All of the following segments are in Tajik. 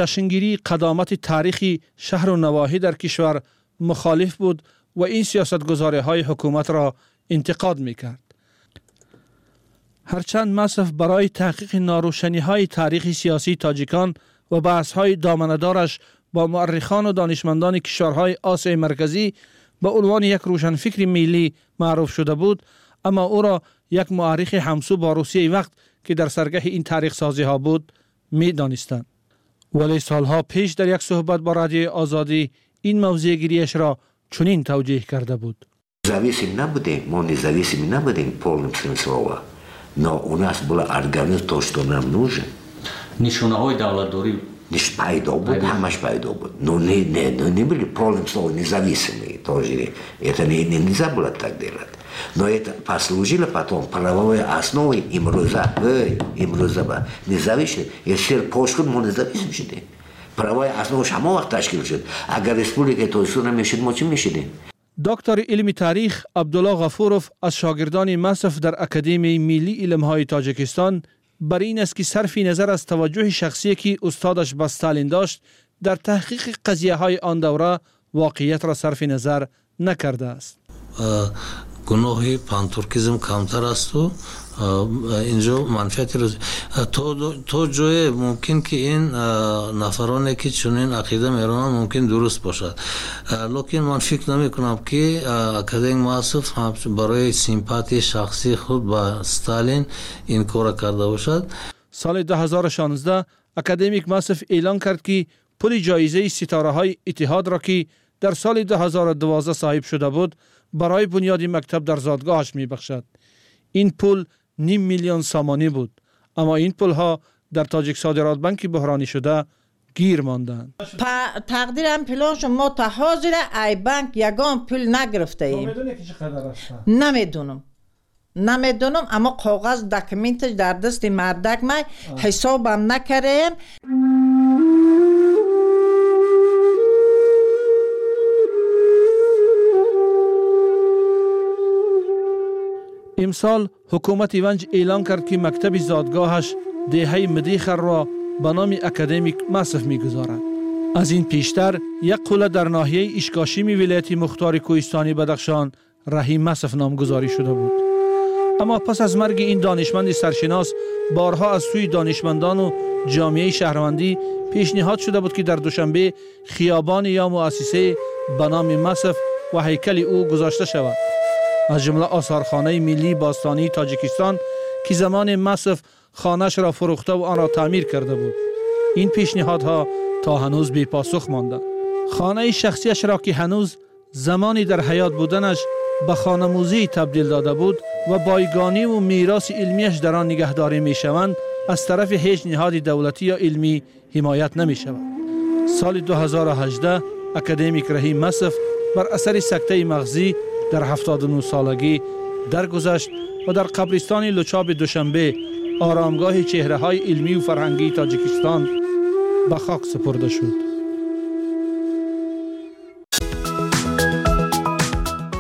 ҷашнгирии қадомати таърихи шаҳру навоҳӣ дар кишвар мухолиф буд ва ин сиёсатгузориҳои ҳукуматро интиқод мекард. Ҳарчанд Масов барои таҳқиқи норӯшаниҳои таърихи сиёсии тоҷикон ва баҳсҳои доманадораш бо муаррихону донишмандони кишварҳои Осиёи Марказӣ ба унвони як рӯшанфикри миллӣ маъруф шуда буд, аммо ӯро як муаррихи ҳамсӯ бо Русияи вақт, ки дар саргаҳи ин таърихсозиҳо буд, медонистанд. Вале солҳо пеш дар як суҳбат бо Радиои Озодӣ ин мавзеъгириашро чунин тавҷеҳ карда буд: Независим набудем, мо независим набудем в полном смысле слова, но у нас была организация то, что нам нужен. Нишонаҳои давлатдорӣ пайдо буд, ҳамаш пайдо буд, но не были полным словом независимые тоже. Это не, нельзя было так делать. Но это послужило потом правовой основой имрӯза, имрӯза ба независим. СССР пош шуд, мо независим шудем. Правовая основа ҳамон вақт ташкил шуд. Агар Республикаи Тоҷикистон намешуд, мо чӣ мешудем? Доктори илми таърих Абдулло Ғафуров аз шогирдони Масов дар Академияи миллии илмҳои Тоҷикистон бар ин аст, ки сарфи назар аз таваҷҷӯҳи шахсие, ки устодаш ба Сталин дошт, дар таҳқиқи қазияҳои он давра воқеиятро сарфи назар накардааст. Гуноҳи пантуркизм камтар асту инҷо манфиати то ҷое мумкин, ки ин нафароне, ки чунин ақида меронанд, мумкин дуруст бошад, лекин ман фикр намекунам, ки академик Масов барои симпатияи шахсии худ ба Сталин ин корро карда бошад. Соли 2016 академик Масов эълон кард, ки пули ҷоизаи Ситораҳои Иттиҳодро, ки дар соли 2012 соҳиб шуда буд, барои бунёди мактаб дар зодгоҳаш мебахшад. Ин пул ним миллион сомонӣ буд, аммо ин пулҳо дар Тоҷиксодиротбанки буҳронӣ шуда гир монданд. Тақдирам пилон шуд, мо та ҳозира ай банк ягон пул нагирифтаем. Намедонам, намедонам, аммо коғаз, документаш дар дасти мардак май, ҳисобам накардаем. Имсол ҳукумати Ванҷ эълон кард, ки мактаби зодгоҳаш, деҳаи Мидихарро, ба номи академик Масов мегузорад. Аз ин пештар як қулла дар ноҳияи Ишкошими вилояти мухтори кӯҳистони Бадахшон Раҳим Масов номгузорӣ шуда буд. Аммо пас аз марги ин донишманди саршинос борҳо аз сӯи донишмандону ҷомеаи шаҳрвандӣ пешниҳод шуда буд, ки дар Душанбе хиёбоне ё муассисае ба номи Масов ва ҳайкали ӯ гузошта шавад, аз ҷумла осорхонаи миллии бостонии Тоҷикистон, ки замоне Масов хонаашро фурӯхтаву онро таъмир карда буд. Ин пешниҳодҳо то ҳанӯз бепосух монданд. Хонаи шахсиашро, ки ҳанӯз замони дар ҳаёт буданаш ба хонамузей табдил дода буд ва бойгониву мероси илмиаш дар он нигаҳдорӣ мешаванд, аз тарафи ҳеҷ ниҳоди давлатӣ ё илмӣ ҳимоят намешавад. Соли 2018 академик Раҳим Масов бар асари сактаи мағзӣ дар 79 солагӣ даргузашт ва дар қабристони Лучоби Душанбе, оромгоҳи чеҳраҳои илмию фарҳангии Тоҷикистон, ба хок супурда шуд.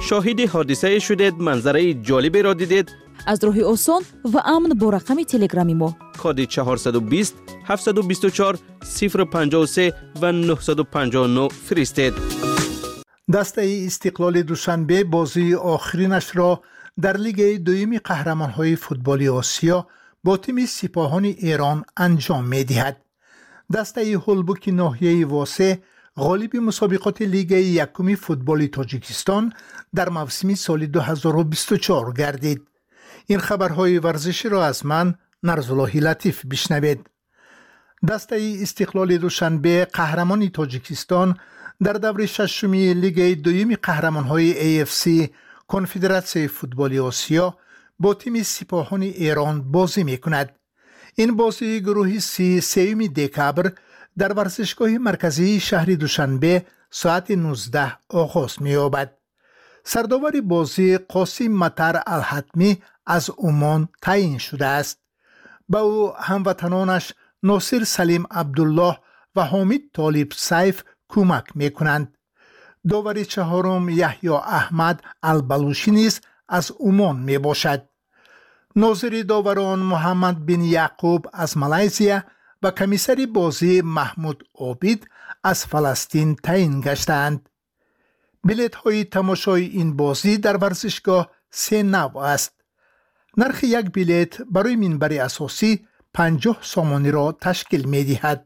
Шоҳиди ҳодисае шудед, манзараи ҷолиберо дидед? Аз роҳи осон ва амн бо рақами телеграми мо коди 420 724 053 ва 959 фиристед. Дастаи Истиқлоли Душанбе бозии охиринашро дар Лигаи дуюми қаҳрамонҳои футболи Осиё бо тими Сипоҳони Эрон анҷом медиҳад. Дастаи ҳулбуки ноҳияи Восе ғолиби мусобиқоти Лигаи якуми футболи Тоҷикистон дар мавсими соли 2024 гардид. Ин хабарҳои варзиширо аз ман, Нарзуллоҳи Латиф, бишнавед. Дастаи Истиқлоли Душанбе, қаҳрамони Тоҷикистон, дар даври шашуми Лигаи дуюми қаҳрамонҳои AFC, Конфедератсияи футболи Осиё, бо тими Сипоҳони Эрон бозӣ мекунад. Ин бозии гурӯҳи си 3 декабр дар варзишгоҳи марказии шаҳри Душанбе соати 19 оғоз меёбад. Сардовари бозӣ Қосим Матар Алҳатмӣ аз Умон таъин шудааст. Ба ӯ ҳамватанонаш Носир Салим Абдуллоҳ ва Ҳомид Толиб Сайф кӯмак мекунанд. Довари чаҳорум Яҳё Аҳмад Албалушӣ низ аз Умон мебошад. Нозири доварон Муҳаммад бин Яъқуб аз Малайзия ва комиссари бозӣ Маҳмуд Обид аз Фаластин таъин гаштаанд. Билетҳои тамошои ин бозӣ дар варзишгоҳ се навъ аст. Нархи як билет барои минбари асосӣ 50 сомониро ташкил медиҳад.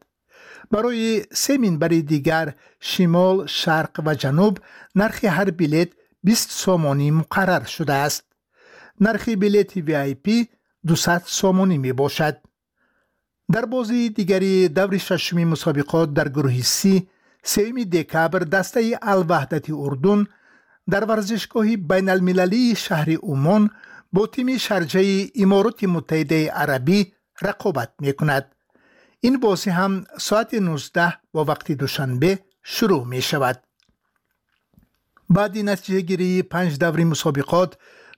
Барои се минбари дигар шимол, шарқ ва ҷануб нархи ҳар билет 20 сомонӣ муқаррар шудааст. Нархи билети VIP 200 сомонӣ мебошад. Дар бозии дигари даври шашуми мусобиқот дар гурӯҳи Си, 3 декабр дастаи Алваҳдати Урдун дар варзишгоҳи байналмилалии шаҳри Умон бо тими Шарҷаи Имороти Муттаҳидаи Арабӣ рақобат мекунад. Ин бозӣ ҳам соати 19 бо вақти Душанбе шурӯъ мешавад. Баъди натиҷагирии панҷ даври мусобиқот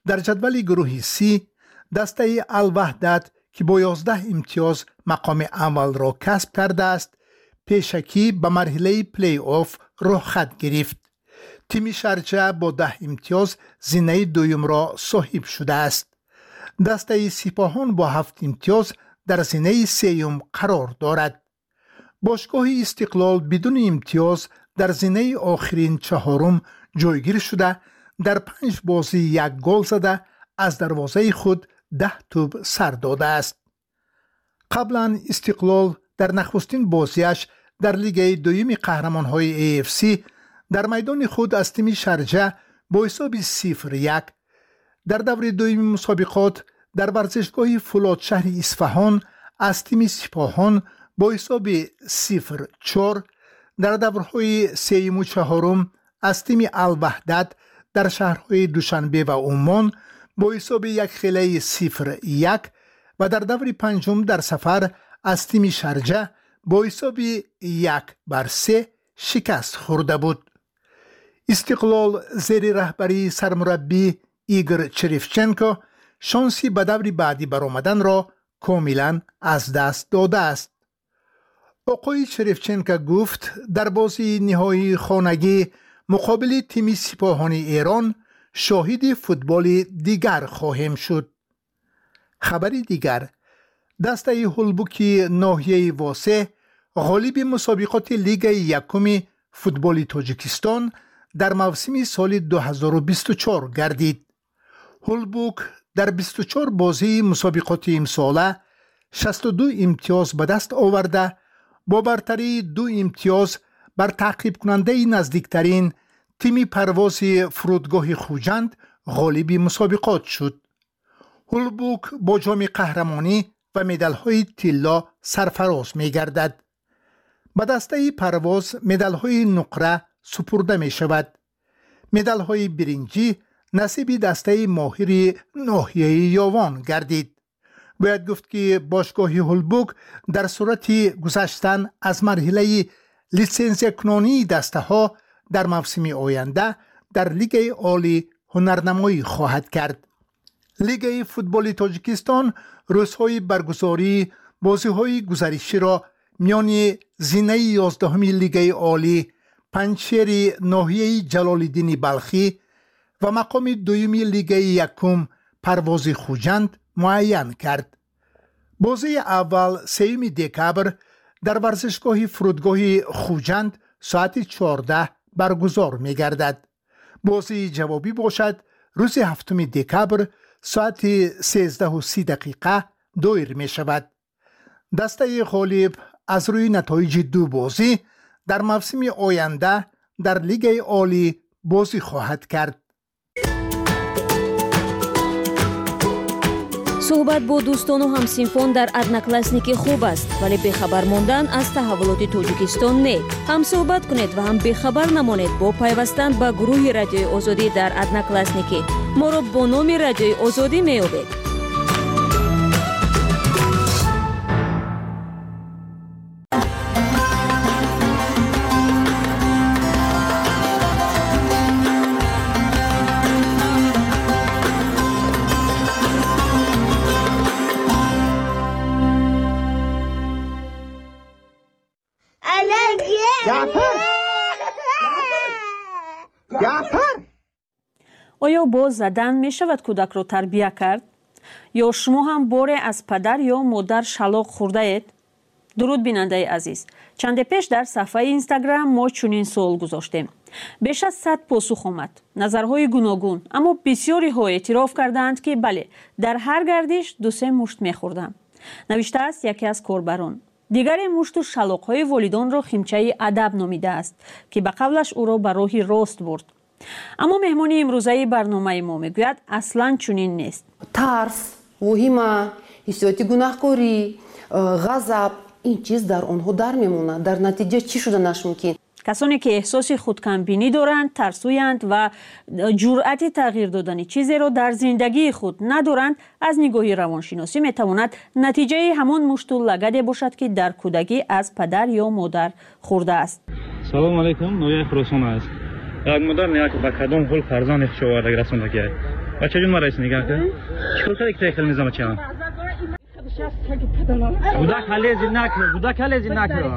дар ҷадвали гурӯҳи Си, дастаи Алваҳдат, ки бо 11 имтиёз мақоми аввалро касб кардааст, пешакӣ ба марҳилаи плей-офф роҳхат гирифт. Тими Шарҷа бо 10 имтиёз зинаи дуюмро соҳиб шудааст. Дастаи Сипоҳон бо 7 имтиёз дар зинаи сеюм қарор дорад. Бошгоҳи Истиқлол бидуни имтиёз дар зинаи охирин чаҳорум ҷойгир шуда, дар панҷ бозӣ як гол зада, аз дарвозаи худ 10 тӯб сар додааст. Қаблан Истиқлол дар нахустин бозиаш дар лигаи дуюми қаҳрамонҳои AFC дар майдони худ аз тими Шарҷа бо ҳисоби 0-1, дар даври дуюми мусобиқот дар варзишгоҳи Фулод шаҳри Исфаҳон аз тими Сипоҳон бо ҳисоби 0-4, дар даврҳои сеюму чаҳорум аз тими Алваҳдат дар шаҳрҳои Душанбе ва Умон бо ҳисоби якхелаи 0-1 ва дар даври панҷум дар сафар аз тими Шарҷа бо ҳисоби 1-3 шикаст хӯрда буд. Истиқлол зери раҳбарии сармураббӣ Игор Черевченко шонси ба даври баъдӣ баромаданро комилан аз даст додааст. Оқои Черевченко гуфт, дар бозии ниҳоии хонагӣ муқобили тими Сипоҳони Эрон шоҳиди футболи дигар хоҳем шуд. Хабари дигар: дастаи Ҳулбуки ноҳияи Восе ғолиби мусобиқоти лигаи якуми футболи Тоҷикистон дар мавсими соли 2024 гардид. Ҳулбук дар 24 бозии мусобиқоти имсола 62 имтиёз ба даст оварда, бо бартарии 2 имтиёз бар таъқибкунандаи наздиктарин тими Парвози фурудгоҳи Хуҷанд ғолиби мусобиқот шуд. Ҳулбук бо ҷоми қаҳрамонӣ ва медалҳои тилло сарфароз мегардад. Ба дастаи Парвоз медалҳои нуқра супурда мешавад. Медалҳои биринҷӣ насиби дастаи Моҳири ноҳияи Ёвон гардид. Бояд гуфт, ки бошгоҳи Ҳулбук дар сурати гузаштан аз марҳилаи литсензиякунонии дастаҳо дар мавсими оянда дар Лигаи олӣ ҳунарнамоӣ хоҳад кард. Лигаи футболи Тоҷикистон рӯзҳои баргузории бозиҳои гузариширо миёни зинаи 11-уми Лигаи олӣ Панҷшери ноҳияи Ҷалолиддини Балхӣ ва мақоми дуюми Лигаи якум Парвози Хуҷанд муайян кард. Бозии аввал 3 декабр дар варзишгоҳи фурудгоҳи Хуҷанд соати 14 баргузор мегардад. Бозии ҷавобӣ бошад рӯзи 7 декабр соати 13:30 доир мешавад. Дастаи ғолиб аз рӯи натоиҷи ду бозӣ дар мавсими оянда дар Лигаи олӣ бозӣ хоҳад кард. Суҳбат бо дӯстону ҳамсинфон дар Одноклассники хуб аст, вале бехабар мондан аз таҳаввулоти Тоҷикистон не. Ҳам суҳбат кунед ва ҳам бехабар намонед бо пайвастан ба гурӯҳи Радиои Озодӣ дар Одноклассники. Моро бо номи Радиои Озодӣ меёбед. Оё бо задан мешавад кӯдакро тарбия кард? Ё шумо ҳам боре аз падар ё модар шалоқ хӯрдаед? Дуруд, бинандаи азиз. Чанде пеш дар саҳфаи Инстаграм мо чунин суол гузоштем. Беш аз 100 посух омад, назарҳои гуногун, аммо бисёриҳо эътироф кардаанд, ки бале, дар ҳар гардиш ду-се мушт мехӯрдам, навиштааст яке аз корбарон. Дигаре мушту шалоқҳои волидонро химчаи адаб номидааст, ки ба қавлаш ӯро ба роҳи рост бурд. Аммо меҳмони имрӯзаи барномаи мо мегӯяд, аслан чунин нест. Тарс, воҳима, ҳиссиёти гунаҳкорӣ, ғазаб, ин чиз дар онҳо дар мемонад. Дар натиҷа чӣ шуданаш мумкин? Касоне ки эҳсоси худкамбинӣ доранд, тарсӯянд ва ҷуръати тағйир додани чизеро дар зиндагии худ надоранд, аз нигоҳи равоншиносӣ метавонад натиҷаи ҳамон мушту лагаде бошад, ки дар кӯдакӣ аз падар ё модар хӯрдааст. Салому алайкум, ноҳияи Хуросон аст. Як модар меяд, ба кадом ҳол фарзанди хуш оварда расондаги. Бачаҷон, мара нигоҳ кун, чикор карди, ки хел мезама чиам? Гудак ҳалези накун, гудак ҳалези накун.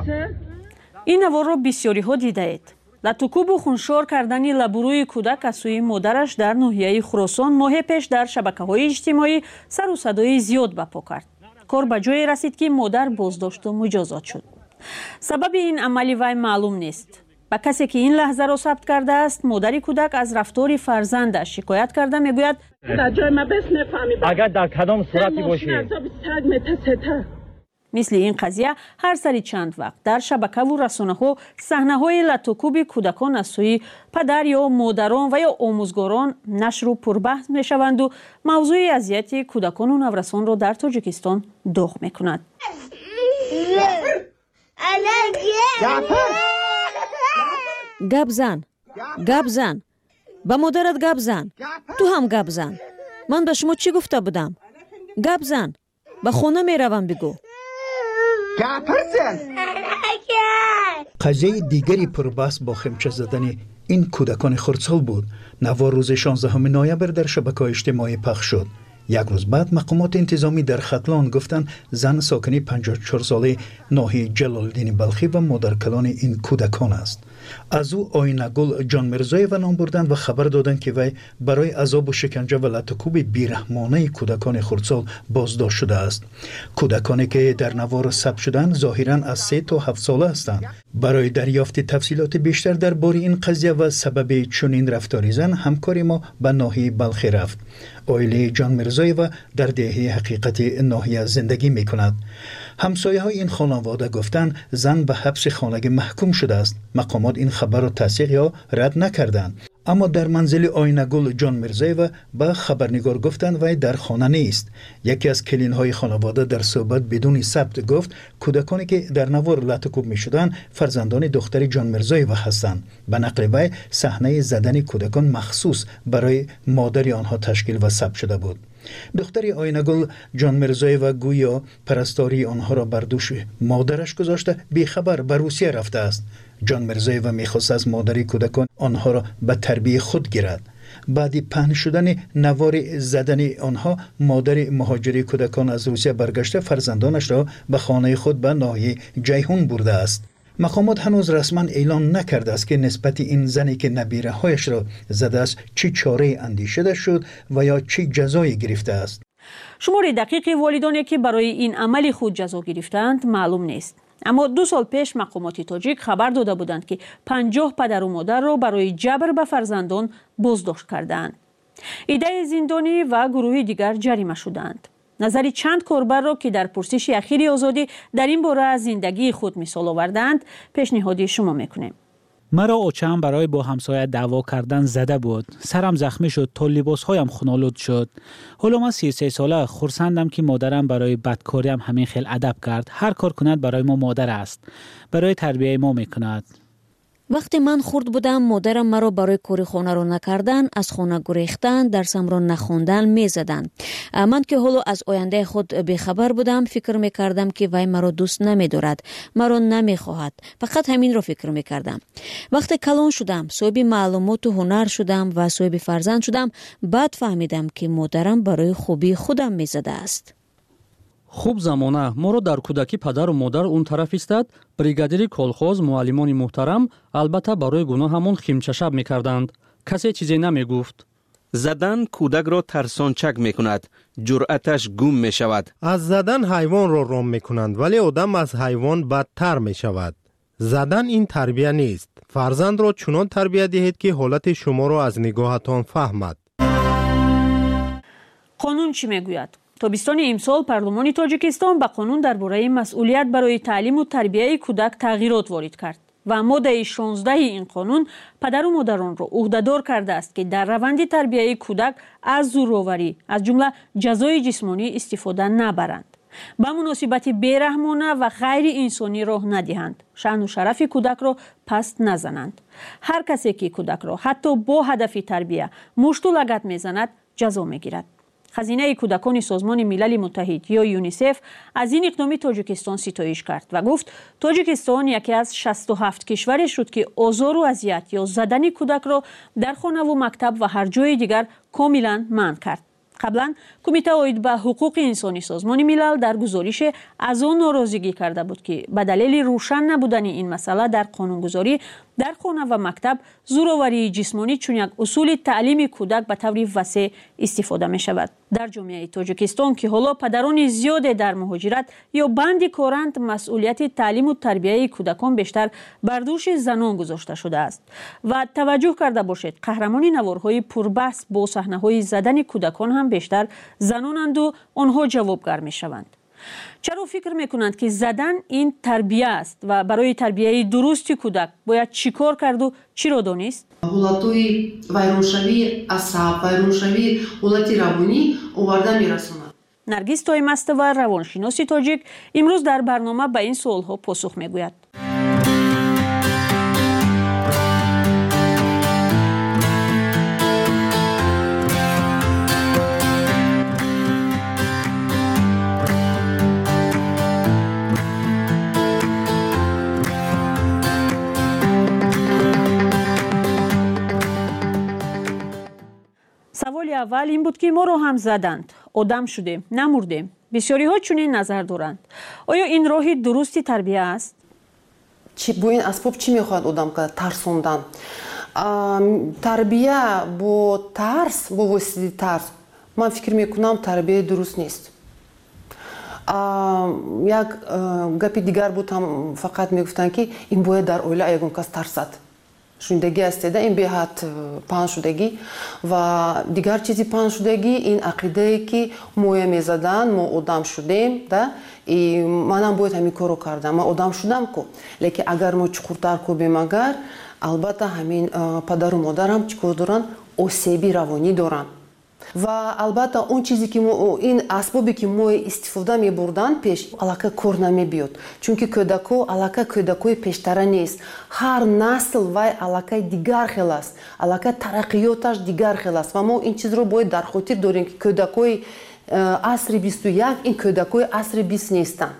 Ин наворро бисёриҳо дидаед. Латукубу хуншор кардани лабурӯи кӯдак аз сӯи модараш дар ноҳияи Хуросон моҳе пеш дар шабакаҳои иҷтимоӣ сару садои зиёд ба по кард. Кор ба ҷое расид, ки модар боздошту муҷозот шуд. Сабаби ин амали вай маълум нест. Ба касе ки ин лаҳзаро сабт кардааст, модари кӯдак аз рафтори фарзандаш шикоят карда мегӯяд: Агар дар кадом сурате бошӣ. Мисли ин қазия ҳар сари чанд вақт дар шабакаву расонаҳо саҳнаҳои латукуби кӯдакон аз сӯи падар ё модарон ва ё омӯзгорон нашру пурбаҳс мешаванду мавзӯи азияти кӯдакону наврасонро дар Тоҷикистон доғ мекунад. Гап зан, гап зан, ба модарат гап зан, ту ҳам гап зан. Ман ба шумо чӣ гуфта будам? Гап зан, ба хона меравам, бигӯ. Қазияи дигари пурбаҳс бо химча задани ин кӯдакони хурдсол буд. Навор рӯзи 16 ноябр дар шабакаҳои иҷтимоӣ пахш шуд. Як рӯз баъд мақомоти интизомӣ дар Хатлон гуфтанд, зан сокини 54-солаи ноҳияи Ҷалолиддини Балхӣ ва модаркалони ин кӯдакон аст. Аз ӯ Оинагул Ҷонмирзоева ном бурданд ва хабар доданд, ки вай барои азобу шиканҷа ва латукуби бераҳмонаи кӯдакони хурдсол боздошт шудааст. Кӯдаконе ки дар навор сабт шуданд, зоҳиран аз 3 то 7 сола ҳастанд. Барои дарёфти тафсилоти бештар дар бораи ин қазия ва сабаби чунин рафтори зан, ҳамкори мо ба ноҳияи Балхӣ рафт. Оилаи Ҷонмирзоева дар деҳаи Ҳақиқати ноҳия зиндагӣ мекунад. Ҳамсояҳои ин хонавода гуфтанд, зан ба ҳабси хонагӣ маҳкум шудааст. Мақомот ин хабарро тасдиқ ё рад накарданд. Аммо дар манзили Оинагул Ҷонмирзоева ба хабарнигор гуфтанд, вай дар хона нест. Яке аз келинҳои хонавода дар суҳбат бидуни сабт гуфт, кӯдаконе ки дар навор латукуб мешуданд, фарзандони духтари Ҷонмирзоева ҳастанд. Ба нақли вай, саҳнаи задани кӯдакон махсус барои модари онҳо ташкил ва сабт шуда буд. Духтари Оинагул Ҷонмирзоева гӯё парастории онҳоро бар дӯши модараш гузошта, бехабар ба Русия рафтааст. Ҷонмирзоева мехост аз модари кӯдакон онҳоро ба тарбияи худ гирад. Баъди паҳн шудани навори задани онҳо, модари муҳоҷири кӯдакон аз Русия баргашта, фарзандонашро ба хонаи худ ба ноҳияи Ҷайҳун бурдааст. Мақомот ҳанӯз расман эълон накардааст, ки нисбати ин зане ки набираҳояшро задааст, чӣ чорае андешида шуд ва ё чӣ ҷазое гирифтааст. Шумори дақиқи волидоне ки барои ин амали худ ҷазо гирифтаанд, маълум нест. Аммо 2 сол пеш мақомоти тоҷик хабар дода буданд, ки 50 падару модарро барои ҷабр ба фарзандон боздошт кардаанд. Идаи зиндонӣ ва гурӯҳи дигар ҷарима шудаанд. Назари чанд корбарро, ки дар пурсиши ахири Озодӣ дар ин бора аз зиндагии худ мисол овардаанд, пешниҳоди шумо мекунем. Маро очаам барои бо ҳамсоя даъво кардан зада буд. Сарам захмӣ шуд, то либосҳоям хунолуд шуд. Ҳоло ман 33 сола, хурсандам, ки модарам барои бадкориам ҳамин хел адаб кард. Ҳар кор кунад, барои мо модар аст, барои тарбияи мо мекунад. Вақте ман хурд будам, модарам маро барои кори хонаро накардан, аз хона гурехтан, дарсамро нахондан мезаданд. Ман ки ҳоло аз ояндаи худ бехабар будам, фикр мекардам, ки вай маро дӯст намедорад, маро намехоҳад. Фақат ҳаминро фикр мекардам. Вақте калон шудам, соҳиби маълумоту ҳунар шудам ва соҳиби фарзанд шудам, баъд фаҳмидам, ки модарам барои хубии худам мезадааст. Хуб замона моро дар кӯдакӣ падару модар он тараф истад, бригадири колхоз, муаллимони муҳтарам, албатта барои гуноҳамон химчашаб мекарданд. Касе чизе намегуфт. Задан кӯдакро тарсончак мекунад, ҷуръаташ гум мешавад. Аз задан ҳайвонро ром мекунанд, вале одам аз ҳайвон бадтар мешавад. Задан ин тарбия нест. Фарзандро чунон тарбия диҳед, ки ҳолати шуморо аз нигоҳатон фаҳмад. Қонун чӣ мегӯяд? Тобистони имсол парлумони Тоҷикистон ба қонун дар бораи масъулият барои таълиму тарбияи кӯдак тағйирот ворид кард ва моддаи 16 ин қонун падару модаронро ӯҳдадор кардааст, ки дар раванди тарбияи кӯдак аз зӯроварӣ, аз ҷумла ҷазои ҷисмонӣ, истифода набаранд, ба муносибати бераҳмона ва ғайриинсонӣ роҳ надиҳанд, шаъну шарафи кӯдакро паст назананд. Ҳар касе ки кӯдакро ҳатто бо ҳадафи тарбия мушту лагат мезанад, ҷазо мегирад. Хазинаи кӯдакони Созмони Милали Муттаҳид ё ЮНИСЕФ аз ин иқдоми Тоҷикистон ситоиш кард ва гуфт, Тоҷикистон яке аз 67 кишваре шуд, ки озору азият ё задани кӯдакро дар хонаву мактаб ва ҳар ҷои дигар комилан манъ кард. Қаблан Кумита оид ба ҳуқуқи инсони Созмони Милал дар гузорише аз он норозигӣ карда буд, ки ба далели рӯшан набудани ин масъала дар қонунгузорӣ дар хона ва мактаб зӯроварии ҷисмонӣ чун як усули таълими кӯдак ба таври васеъ истифода мешавад. Дар ҷомеаи Тоҷикистон, ки ҳоло падарони зиёде дар муҳоҷират ё банди коранд, масъулияти таълиму тарбияи кӯдакон бештар бар дӯши занон гузошта шудааст. Ва таваҷҷӯҳ карда бошед, қаҳрамони наворҳои пурбаҳс бо саҳнаҳои задани кӯдакон ҳам бештар занонанду онҳо ҷавобгар мешаванд. Чаро фикр мекунанд, ки задан ин тарбия аст ва барои тарбияи дурусти кӯдак бояд чӣ кор карду чиро донист? Ҳолатҳои вайроншавии асаб, вайроншавии ҳолати равонӣ оварда мерасонад. Наргиз Тоймастова, равоншиноси тоҷик, имрӯз дар барнома ба ин суолҳо посух мегӯяд. Саволи аввал ин буд, ки моро ҳам заданд, одам шудем, намурдем. Бисёриҳо чунин назар доранд. Оё ин роҳи дурусти тарбия аст? Бо ин асбоб чӣ мехоҳад одам кард? Тарсондан. Тарбия бо тарс, бо воситаи тарс, ман фикр мекунам, тарбияи дуруст нест. Як гапи дигар буд ҳам, фақат мегуфтанд, ки ин бояд дар оила ягон кас тарсад. Шунидагӣ ҳастеда, ин беҳад паҳншудагӣ. Ва дигар чизи паҳншудагӣ ин ақидае, ки моя мезаданд, мо одам шудем, да, и манам бояд ҳамин корро кардам, ман одам шудам ку. Лекин агар мо чуқуртар кӯбем, агар албатта ҳамин падару модарам чӣ кор доранд? Осеби равонӣ доранд. Ва албатта он чизе ки ин асбобе ки мо истифода мебурданд пеш, аллакай кор намебиёд, чунки кӯдако аллакай кӯдакои пештара нест. Ҳар насл вай аллакай дигар хел аст, аллакай тараққиёташ дигар хел аст. Ва мо ин чизро бояд дар хотир дорем, ки кӯдакои асри 21 ин кӯдакои асри 20 нестанд,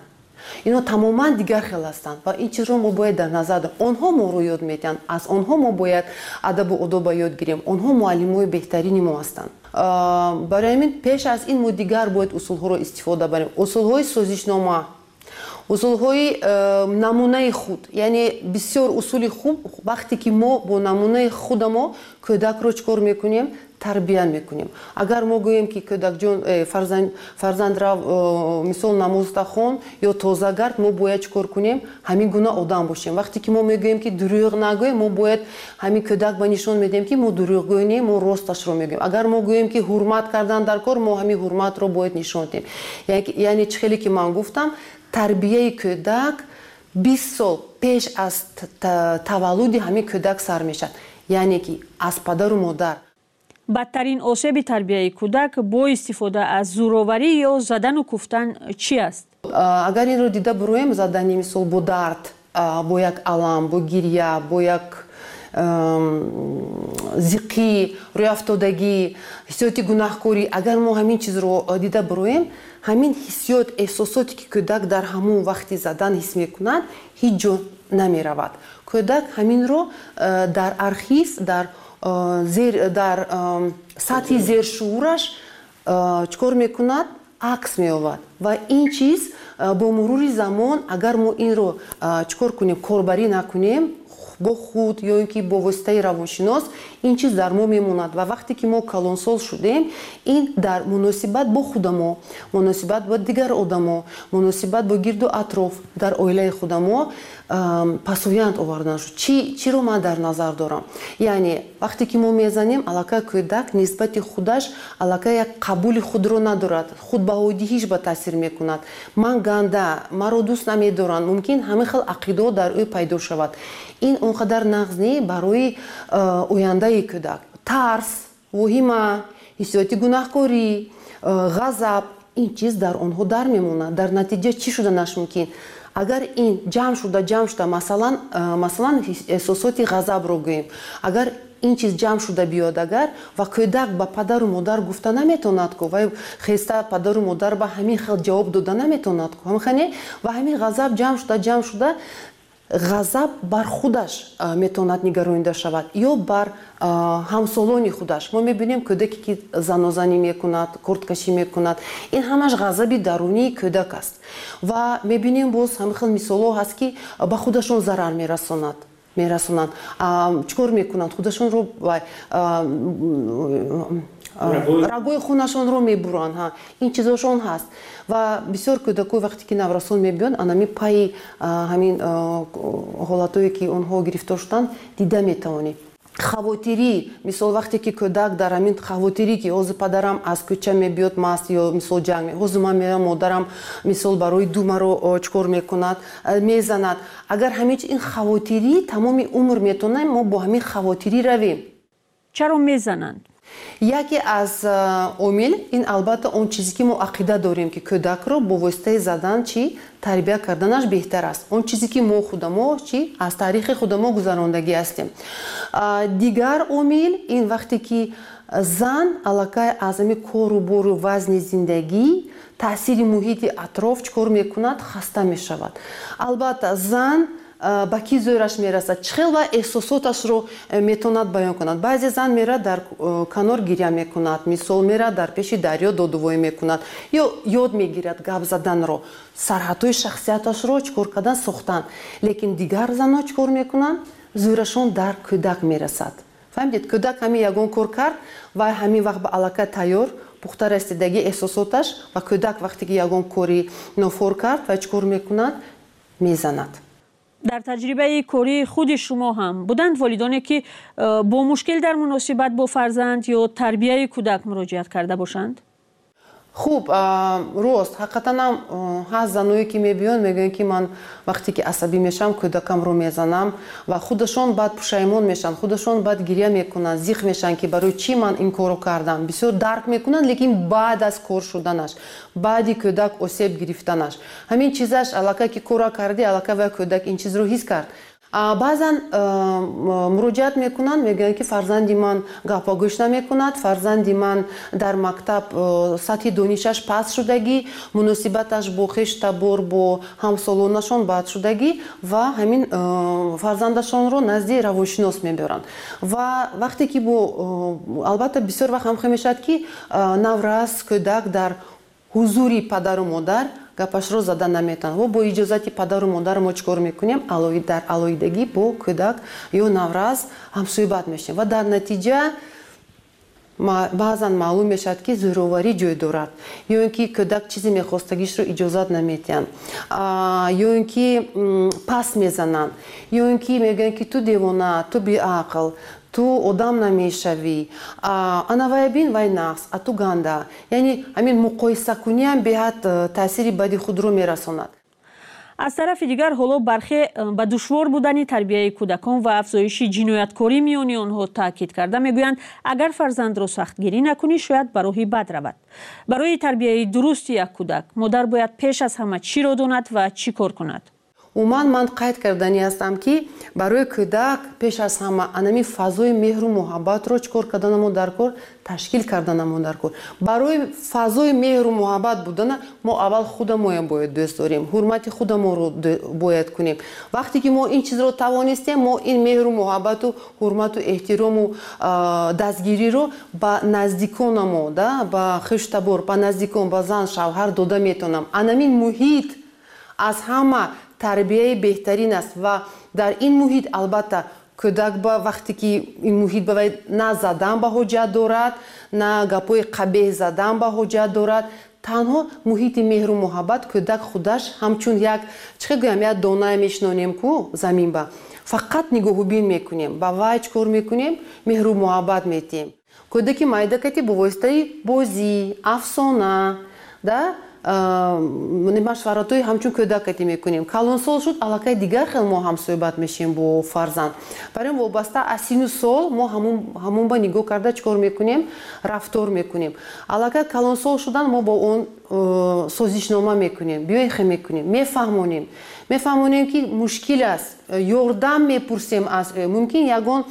ино тамоман дигар хел ҳастанд. Ва ин чизро мо бояд дар назар дорем. Онҳо моро ёд медиҳанд, аз онҳо мо бояд адабу одоба ёд гирем, онҳо муаллимои беҳтарини мо ҳастанд. Барои ҳамин пеш аз ин мо дигар бояд усулҳоро истифода барем, усулҳои созишнома, усулҳои намунаи худ, яъне бисёр усули хуб. Вақте ки мо бо намунаи худамо кӯдакро чӣ кор мекунем? Тарбия мекунем. Агар мо гӯем, ки кӯдакҷон, фарзанд рав, мисол, намозта хон ё тоза гард, мо бояд чӣ кор кунем? Ҳамин гуна одам бошем. Вақте ки мо мегӯем, ки дурӯғ нагӯем, мо бояд ҳамин кӯдак ба нишон медиҳем, ки мо дурӯғгӯ не, мо росташро мегӯем. Агар мо гӯем, ки ҳурмат кардан дар кор, мо ҳамин ҳурматро бояд нишон диҳем. Яъне чӣ хеле ки ман гуфтам, тарбияи кӯдак 20 сол пеш аз таваллуди ҳамин кӯдак сар мешавад, яъне ки аз падару модар. Бадтарин осеби тарбияи кӯдак бо истифода аз зӯроварӣ ё задану куфтан чӣ аст? Агар инро дида буроем, задани мисол бо дард, бо як алам, бо гирья, бо як зиқӣ, рӯяфтодагӣ, ҳиссиёти гунаҳкорӣ, агар мо ҳамин чизро дида буроем, ҳамин ҳиссиёт, эҳсосоте ки кӯдак дар ҳамон вақти задан ҳис мекунад, ҳеҷ ҷо намеравад. Кӯдак ҳаминро дар архив, дар сатҳи зершуураш чӣ кор мекунад? Акс меёбад. Ва ин чиз бо мурури замон, агар мо инро чӣ кор кунем, корбарӣ накунем, Бо худ ё ин ки бо воситаи равоншинос ин чиз дар мо мемонад. Ва вақте ки мо калонсол шудем, ин дар муносибат бо худамо, муносибат бо дигар одамо, муносибат бо гирду атроф, дар оилаи худамо пасоянд овардан шуд. Чиро ман дар назар дорам? Яъне вақте ки мо мезанем, аллакай кӯдак нисбати худаш аллакай як қабули худро надорад, худбаҳодиҳиш ба таъсир мекунад. Ман ганда, маро дӯст намедоранд, мумкин ҳамин хел ақидаҳо дар ӯ пайдо шавад. Ин он қадар нағз не барои ояндаи кӯдак. Тарс, воҳима, ҳиссиёти гунаҳкорӣ, ғазаб, ин чиз дар онҳо дар мемонад. Дар натиҷа чӣ шуданаш мумкин? Агар ин ҷамъ шуда, масалан эҳсосоти ғазабро гӯем, агар ин чиз ҷамъ шуда биёд, агар ва кӯдак ба падару модар гуфта наметавонад ку, вай хеста падару модар ба ҳамин хел ҷавоб дода наметавонад ку, ҳамхане ва ҳамин ғазаб ҷамъ шуда ғазаб бар худаш метавонад нигаронида шавад ё бар ҳамсолони худаш. Мо мебинем кӯдаке ки занозанӣ мекунад, корткашӣ мекунад, ин ҳамаш ғазаби дарунии кӯдак аст. Ва мебинем боз ҳамин хел мисолҳо ҳаст, ки ба худашон зарар мерасонанд. Чӣ кор мекунанд? Худашонро рагои хунашонро мебуранд. Ин чизошон ҳаст. Ва бисёр кӯдакои вақте ки наврасон мебиёнд, анами пайи ҳамин ҳолатое ки онҳо гирифтор шуданд, дида метавонем. Хавотирӣ, мисол вақте ки кӯдак дар ҳамин хавотирӣ, ки ҳозир падарам аз кӯча мебиёд маст ё мисол ҷанг, ҳозир ман мерам, модарам мисол барои ду маро чӣ кор мекунад, мезанад. Агар ҳамин ин хавотирӣ тамоми умр метавонем мо бо ҳамин хавотирӣ равем. Чаро мезананд? Яке аз омил ин албатта он чизе ки мо ақида дорем, ки кӯдакро бо воситаи задан чӣ тарбия карданаш беҳтар аст. Он чизе ки мо худамо чӣ аз таърихи худамо гузарондагӣ ҳастем. Дигар омил ин вақте ки зан аллакай аз ҳамин кору бору вазни зиндагӣ, таъсири муҳити атроф чӣ кор мекунад, хаста мешавад. Албатта зан ба ки зӯраш мерасад, чӣ хел ва эҳсосоташро метавонад баён кунад. Баъзе зан мерад дар канор гиря мекунад, мисол мерад дар пеши дарё додувоӣ мекунад ё ёд мегирад гап заданро, сарҳадҳои шахсияташро чӣ кор кардан, сохтан. Лекин дигар занҳо чӣ кор мекунанд? Зӯрашон дар кӯдак мерасад. Фаҳмидед, кӯдак ҳамин ягон кор кард ва ҳамин вақт ба аллакай тайёр, пухта расидагӣ эҳсосоташ, ва кӯдак вақте ки ягон кори нофор кард ва чӣ кор мекунад, мезанад. Дар таҷрибаи кории худи шумо ҳам буданд волидоне ки бо мушкил дар муносибат бо фарзанд ё тарбияи кӯдак муроҷиат карда бошанд? Хуб, рост, ҳақиқатан ҳам ҳаст заное ки мебиёнд, мегӯянд ки ман вақте ки асабӣ мешавам, кӯдакамро мезанам, ва худашон баъд пушаймон мешаванд, худашон баъд гиря мекунанд, зиқ мешаванд ки барои чӣ ман ин корро кардам. Бисёр дарк мекунанд, лекин баъд аз кор шуданаш, баъди кӯдак осеб гирифтанаш, ҳамин чизаш аллакай ки корро кардӣ, аллакай вай кӯдак ин чизро ҳис кард. Баъзан муроҷиат мекунанд, мегӯянд ки фарзанди ман гапа гӯш намекунад, фарзанди ман дар мактаб сатҳи донишаш паст шудагӣ, муносибаташ бо хештабор, бо ҳамсолонашон бад шудагӣ, ва ҳамин фарзандашонро назди равоншинос мебаранд. Ва вақте ки бо албатта бисёр вақт ҳам мешавад ки наврас кӯдак дар ҳузури падару модар гапашро зада наметавонад. Ва бо иҷозати падару модар мо чӣ кор мекунем? Дар алоҳидагӣ бо кӯдак ё наврас ҳамсӯҳбат мешавем. Ва дар натиҷа баъзан маълум мешавад, ки зӯроварӣ ҷой дорад, ё ин ки кӯдак чизе мехостагишро иҷозат наметиҳанд, ё ин ки пас мезананд, ё ин ки мегӯянд ки ту девона, ту беақл, ту одам намешавӣ, ана вай бин, вай нағз, а ту ганда. Яъне ҳамин муқоисакуниам беҳад таъсири бади худро мерасонад. Аз тарафи дигар ҳоло бархе ба душвор будани тарбияи кӯдакон ва афзоиши ҷинояткорӣ миёни онҳо таъкид карда мегӯянд, агар фарзандро сахтгирӣ накунӣ, шояд ба роҳи бад равад. Барои тарбияи дурусти як кӯдак модар бояд пеш аз ҳама чиро донад ва чӣ кор кунад? Умуман ман қайд карданӣ ҳастам, ки барои кӯдак пеш аз ҳама анами фазои меҳру муҳаббатро чӣ кор карданамо дар кор, ташкил карданамо дар кор. Барои фазои меҳру муҳаббат будана мо аввал худамоям бояд дӯст дорем, ҳурмати худамонро бояд кунем. Вақте ки мо ин чизро тавонистем, мо ин меҳру муҳаббату ҳурмату эҳтирому дастгириро ба наздиконамо, ба хештабор, ба наздикон, ба зан, шавҳар дода метавонам. Анамин муҳит аз ҳама тарбияи беҳтарин аст ва Дар ин муҳит албатта кӯдак ба вақте ки ин муҳит ба вай на задан ба ҳоҷат дорад, на гапҳои қабеҳ задан ба ҳоҷат дорад. Танҳо муҳити меҳру муҳаббат, кӯдак худаш ҳамчун як, чӣ гӯям, як донае мешинонем ку замин ба, фақат нигоҳубин мекунем, ба вай чӣ кор мекунем? Меҳру муҳаббат метиҳем. Кӯдаки майда кати бо воситаи бозӣ, афсона да машваратҳои ҳамчун кӯдак кати мекунем. Калонсол шуд, аллакай дигар хел мо ҳамсӯҳбат мешем бо фарзанд. Барои вобаста аз сину сол мо ҳамон ба нигоҳ карда чӣ кор мекунем? Рафтор мекунем. Аллакай калонсол шудан мо бо он созишнома мекунем, биёихе мекунем, мефаҳмонем. Мефаҳмонем, ки мушкил аст, ёрдам мепурсем аз ӯ. Мумкин ягон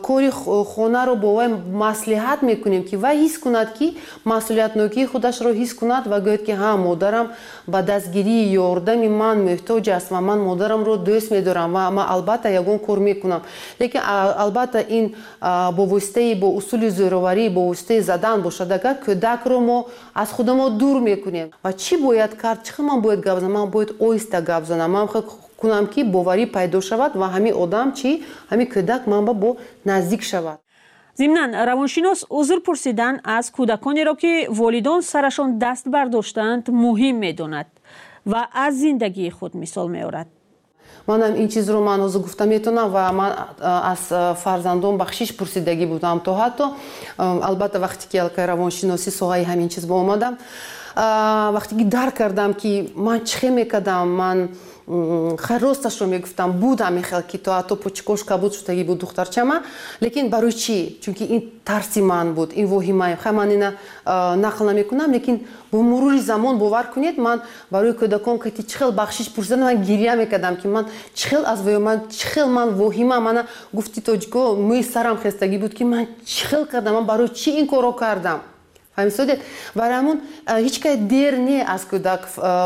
кори хонаро бо вай маслиҳат мекунем, ки вай ҳис кунад, ки масъулиятнокии худашро ҳис кунад ва гӯяд, ки ҳа, модарам ба дастгирии ёрдами ман муҳтоҷ аст ва ман модарамро дӯст медорам ва ман албатта ягон кор мекунам. Лекин албатта ин бо воситаи, бо усули зӯроварӣ, бо воситаи задан бошад, агар кӯдакро мо аз худамо дур мекунем. Ва чӣ бояд кард? Чӣ хел ман бояд гап занам? Ман бояд оҳиста гап занам. Ман кунам, ки боварӣ пайдо шавад ва ҳамин одам чӣ, ҳамин кӯдак ман ба бо наздик шавад. Зимнан, равоншинос узр пурсидан аз кӯдаконеро, ки волидон сарашон даст бардоштаанд, муҳим медонад ва аз зиндагии худ мисол меорад. Манам ин чизро ман ҳозир гуфта метавонам ва ман аз фарзандон бахшиш пурсидагӣ будам то ҳатто албатта вақте ки аллакай равоншиносӣ соҳаи ҳамин чиз ба омадам, вақте ки дарк кардам, ки ман чӣ хел мекардам, ман хайр, росташро мегуфтам, буд ҳамин хел, ки то ҳатто почкош кабуд шудагӣ буд духтарчама. Лекин барои чӣ? Чунки ин тарси ман буд, ин воҳимаи. Хай, ман ина нақл намекунам, лекин бо мурури замон, бовар кунед, ман барои кӯдакон кати чӣ хел бахшиш пурсидан, ман гиря мекардам, ки ман чӣ хел аз воё, ман чӣ хел ман воҳима мана гуфти тоҷико, мӯи сарам хестагӣ буд, ки ман чӣ хел кардам, ман барои чӣ ин корро кардам. Фаҳмисодед? Барои ҳамон ҳеҷ кай дер не аз кӯдак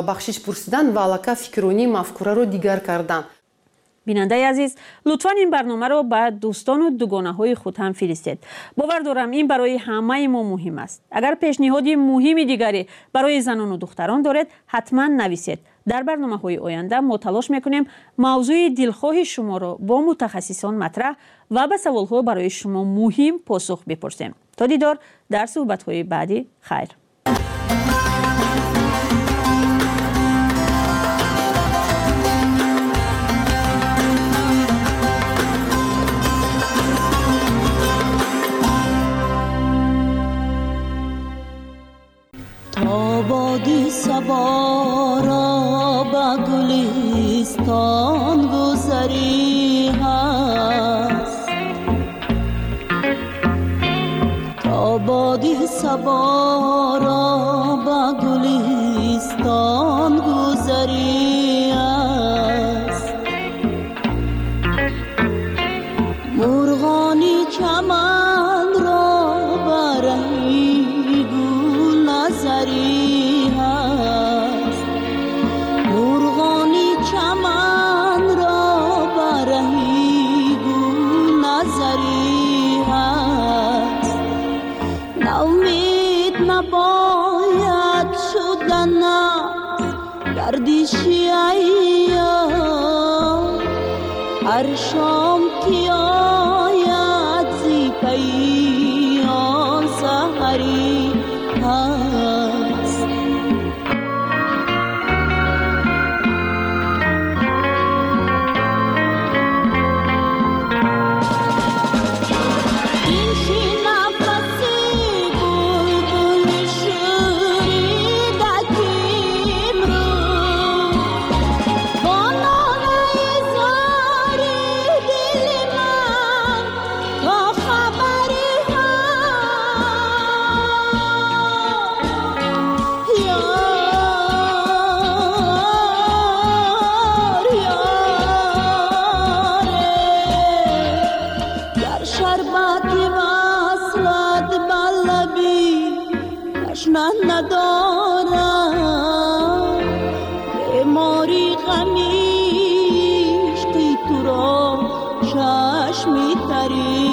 бахшиш пурсидан ва аллакай фикронии мафкураро дигар кардан. Бинандаи азиз, лутфан ин барномаро ба дӯстону дугонаҳои худ ҳам фиристед. Бовар дорам, ин барои ҳамаи мо муҳим аст. Агар пешниҳоди муҳими дигаре барои занону духтарон доред, ҳатман нависед. Дар барномаҳои оянда мо талош мекунем мавзӯи дилхоҳи шуморо бо мутахассисон матраҳ ва ба саволҳо барои шумо муҳим посух бипурсем. То дидор дар суҳбатҳои баъдӣ, хайр. تا باد صبا را به گلستان گذری هست، تا باد صبا را به گلستان گذری است. مرغان چمن را برهی گل نظری هست، مرغان چمن را برهی گل نظری هست. ناامید نباید شدن از گردش ایام، هر شام که آید ز پی آن سحری هست. بنشین نفس بلبل شوریده که امروز با ناله زار دل من تا خبری هست. یار یاره گر شربت وصلت بر لبی تشنه ندارم، بیماری غم عشق تو را چشم تری